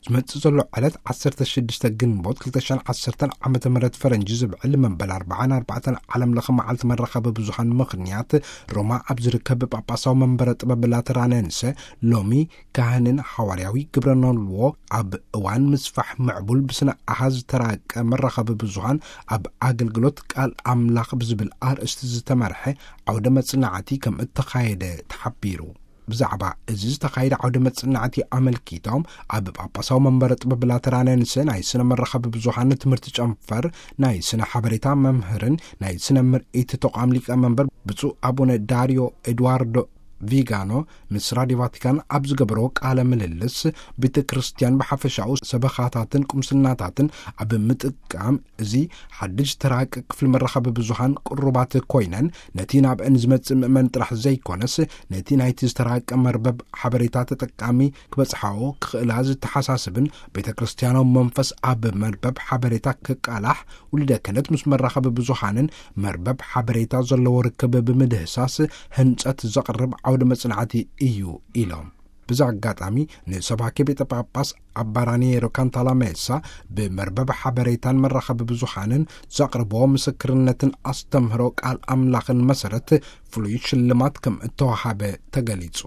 ዝመጽእ ዘሎ ዕለት ዓሰርተ ሽዱሽተ ግንቦት ክልተ ሽሕን ዓሰርተን ዓመተ ምህረት ፈረንጂ ዝብዕል መበል ኣርባዓን ኣርባዕተን ዓለም ለኸ መዓልቲ መራኸቢ ብዙሃን ምኽንያት፣ ሮማ ኣብ ዝርከብ ጳጳሳዊ መንበረ ጥበብ ላተራነንሰ፣ ሎሚ ካህንን ሓዋርያዊ ግብረ ኖልዎ ኣብ እዋን ምስፋሕ ምዕቡል ብስነ ኣሃዝ ዝተራቀ መራኸቢ ብዙሃን ኣብ ኣገልግሎት ቃል ኣምላኽ ብዝብል ኣርእስቲ ዝተመርሐ ዓውደ መጽናዕቲ ከም እተኻየደ ተሓቢሩ። ብዛዕባ እዚ ዝተኻየደ ዓውደ መጽናዕቲ ኣመልኪቶም ኣብ ጳጳሳዊ መንበረ ጥበብ ላተራነንስ ናይ ስነ መራኸቢ ብዙሃን ትምህርቲ ጨንፈር ናይ ስነ ሓበሬታ መምህርን ናይ ስነ ምርኢት ተቋም ሊቀ መንበር ብፁዕ ኣቡነ ዳርዮ ኤድዋርዶ ቪጋኖ ምስ ራድዮ ቫቲካን ኣብ ዝገበሮ ቃለ ምልልስ፣ ቤተ ክርስቲያን ብሓፈሻኡ ሰበኻታትን ቁምስናታትን ኣብ ምጥቃም እዚ ሓድሽ ዝተራቀ ክፍሊ መራኸቢ ብዙሃን ቅሩባት ኮይነን፣ ነቲ ናብአን ዝመጽእ ምእመን ጥራሕ ዘይኮነስ፣ ነቲ ናይቲ ዝተራቀ መርበብ ሓበሬታ ተጠቃሚ ክበጽሓኦ ክኽእላ ዝተሓሳስብን፣ ቤተ ክርስቲያናዊ መንፈስ ኣብ መርበብ ሓበሬታ ክቃላሕ፣ ውልደ ክህነት ምስ መራኸቢ ብዙሃንን መርበብ ሓበሬታ ዘለዎ ርክብ ብምድህሳስ ህንጸት ዘቕርብ ዓውደ መጽናዕቲ እዩ ኢሎም። ብዚ ኣጋጣሚ ንሰባኪ ቤተ ጳጳስ ኣባራኔሮ ካንታላሜሳ ብመርበብ ሓበሬታን መራኸቢ ብዙሃንን ዘቕርቦ ምስክርነትን ኣስተምህሮ ቃል ኣምላኽን መሰረት ፍሉይ ሽልማት ከም እተዋሃበ ተገሊጹ።